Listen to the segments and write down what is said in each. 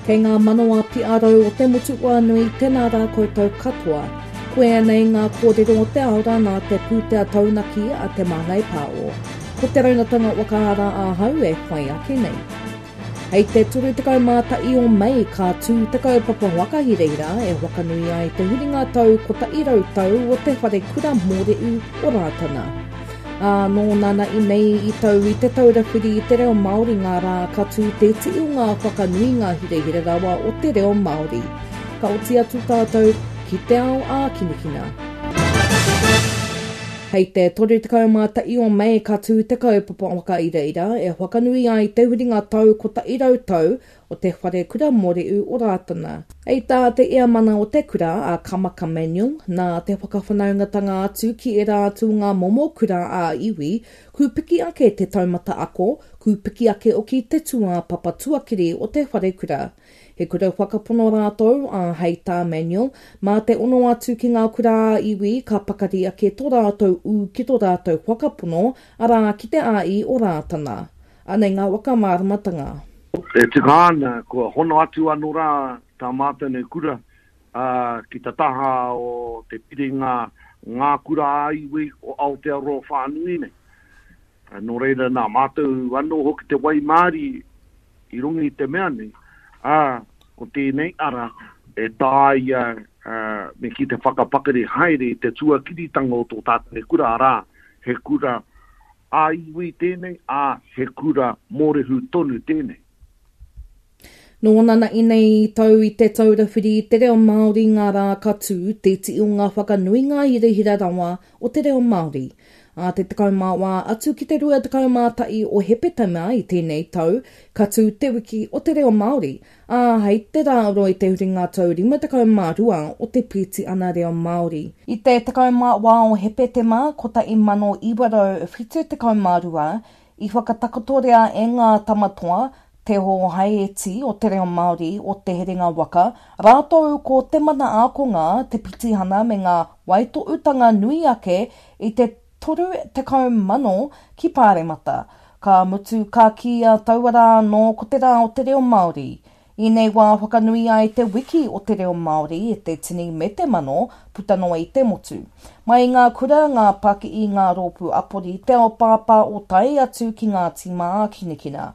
Kei ngā manawa piarau o te motu whānui, tēnā rā koutou katoa. Koia nei ngā kōrero o te ao rā nā te pūtea taunaki a Te Māngai Pāo. Ko te raunatanga whakaara ahau e whai ake nei. Hei te 31 o Mei ka tū te kaupapa whakahirahira e whakanui ai te huringa tau 100 tau o Te Wharekura Mōrehu o Rātana. Ā, nō nana'i nei i tau i Te Taura Whiri i te Reo Māori ngā rā ka tū te iti o ngā whakanuinga hirahira rawa o te reo Māori. Ka oti atu tātou ki te ao ākinakina. Hei te 31 o Mei ka tū te kaupapa whakairaira e whakanui ai te huringa tau 100 tau o te Whare Kura Mōrehu o Rātana. Hei tā te Eamana o te kura, a Kamaka Manuel, nā te whakawhanaungatanga atu ki ērā atu o ngā momo kura ā-iwi, kūpiki ake te taumata ako, kūpiki ake hoki te tūāpapa tuakiri o te wharekura. He kura whakapono rātou, ā, hei tā Manuel, mā te ono atu ki ngā kura ā-iwi ka pakari ake tō rātou ū ki tō rātou whakapono, arā, ki te āi o Rātana. Anei ngā whakamāramatanga. E tika ana, kua hono atu anō rā tā mātou nei kura ki te taha o te piringa Ngā Kura ā-Iwi o Aotearoa whānui nei. Nō reira, nā mātou anō hoki te waimārie i runga i te mea nei, ā, ko tēnei ara e taea me kī te whakapakari haere i te tuakiritanga o tō tātou nei kura, arā, he kura Ā-iwi tēnei, ā, he kura mōrehu tonu tēnei. Nō nana'i nei i tau i Te Taura Whiri i te Reo Māori ngā rā ka tū, te iti o ngā whakanuinga hirahira rawa o te reo Māori. Ā te 14 atu ki te 21 o Hepetema i tēnei tau, ka tū Te Wiki o te Reo Māori, ā, hei te rā oro i te huringa tau 52 o te Pītiana Reo Māori. I te 14 o Hepetema 1972, i whakatakotoria e ngā Tamatoa, Te Hōhaieti o te Reo Māori o Te Herenga Waka, rātou ko Te Mana Ākonga, te pitihana me ngā waitohutanga nui ake i te 30,000 ki Pāremata. Ka mutu, ka kīia taua rā anō ko te Rā o te Reo Māori. I nei wā whakanui ai te Wiki o te Reo Māori e te tini me te mano puta noa i te motu. Mai i ngā kura, ngā pakihi, ngā rōpū apori, te ao pāpāo tae atu ki ngā tīma ākinakina.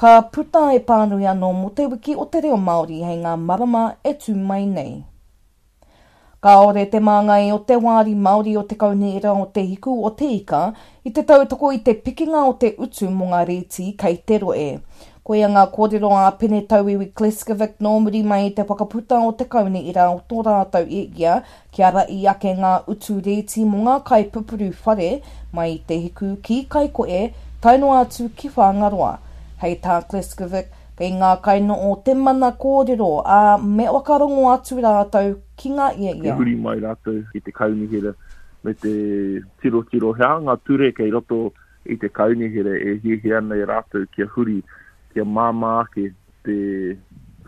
Ka puta e pānui anō mō te Wiki o te Reo Māori hei ngā marama e tū mai nei. Kāore te māngai o te Wāri Māori o Te Kaunihera o Te Hiku o Te Ika i te tautoko i te pikinga o te utu mō ngā rēti kei te rohe. Koia ngā kōrero a Pene Tauiwi Kleskovic nō muri mai i te whakaputa o te Kaunihera o tō rātou e ia kia rahi ake ngā utu rēti mō ngā kaipupuru whare mai i Te Hiku ki Kaikohe tae noa atu ki Whangaroa. Hei tā Kleskovic, Kei ngā kainoo te mana kōrero, ā, me whakarongo atu rātou ki ngā Te ia. huri mai rātou ki te kaunihera me te tirotiro he aha ngā ture kei roto i te kaunihera e hiahia ana e rātou kia huri, kia māmā ake te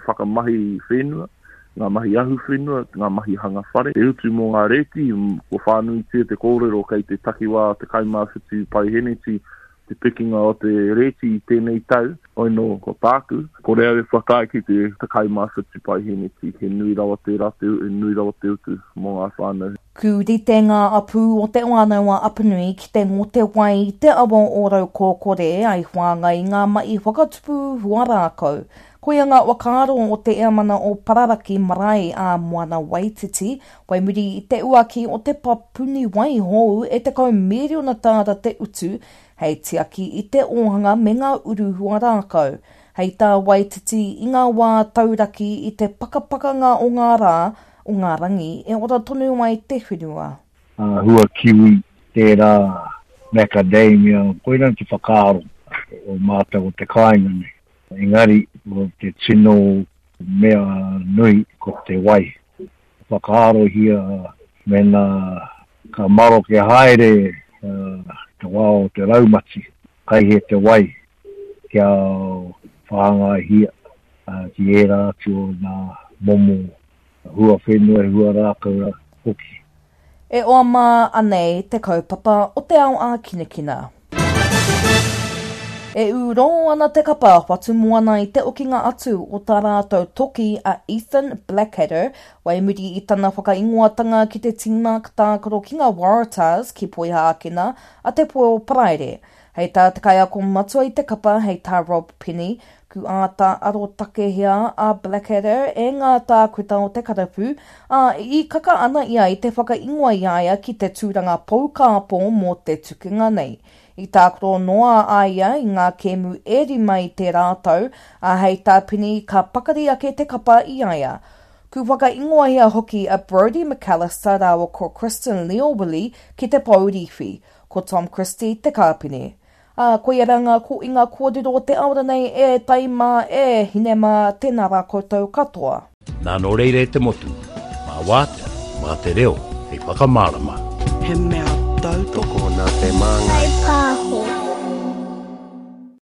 whakamahi whenua, ngā mahi ahuwhenua, ngā mahi hanga whare. Te utu mō ngā rēti, kua whānuitia te kōrero kei te takiwā 17 paiheneti te pikinga o te rēti i tēnei tau, hoi nō, ko tāku, kore au e whakaae ki te 17 paiheneti, he nui rawa tērā te, he nui rawa te utu mō ngā whānau. Kūrite ngā apū o Te Whānau-a-Apanui ki te ngote wai i te awa o Raukōkore ai whāngai i ngā mahi whakatupu huarākau. Koia ngā whakaaro o te Eamana o Pararaki Marae a Moana Waititi Whai muri i te uaki o te papuni wai hou e 10 mīriona tāra te utu hei tiaki i te ōhanga me ngā uru huarākau. Hei tā Waititi i ngā wā tauraki i te pakapakanga o ngā rā, o ngā rangi e ora tonu ai te whenua. Hua kiwi, tērā macadamia, koirā te whakaaro o mātou o te kāinga nei. Engari, ko te tino mea nui ko te wai. Whakaarohia mēnā ka maroke haere te wā o te raumati, kai he te wai kia whāngaihia ki ērā atu o ngā momo hua whenua, hua rākau hoki. E oa mā anei te kaupapa o te ao ākinakina. E ū rō ana te kapa Whatumoana i te okinga atu o tā rātou toki a Ethan Blackadder wai muri i tana whakaingoatanga ki te tīma tākaro ki ngā Waratahs ki Poihākena a te Poe o Paraire. Hei tā te kaiako matua i te kapa hei tā Rob Penny, ku āta arotakehia a Blackadder e ngā tākuta o te karapu, ā, i kaka ana ia i te whakaingoa i a ia ki te tūranga poukāpō mō te tukinga nei. I tākaro noa a ia i ngā kēmu e rima i tērā tau, ā, hei tā Penny ka pakari ake te kapa i a ia. Ku whakaingoahia hoki a Brodie McAlister rāua ko Kristen Lio-Willie ki te pou rīwhi, ko Tom Christie te kāpene. Ā, koia rā ngā kōinga kōrero o te aora nei e tai mā, e hine mā, tēnā rā koutou katoa. Nā nō reira e te motu, mā wātea, mā te reo hei whakamārama. He mea tautoko. Tokona te māngai. Kaipāho.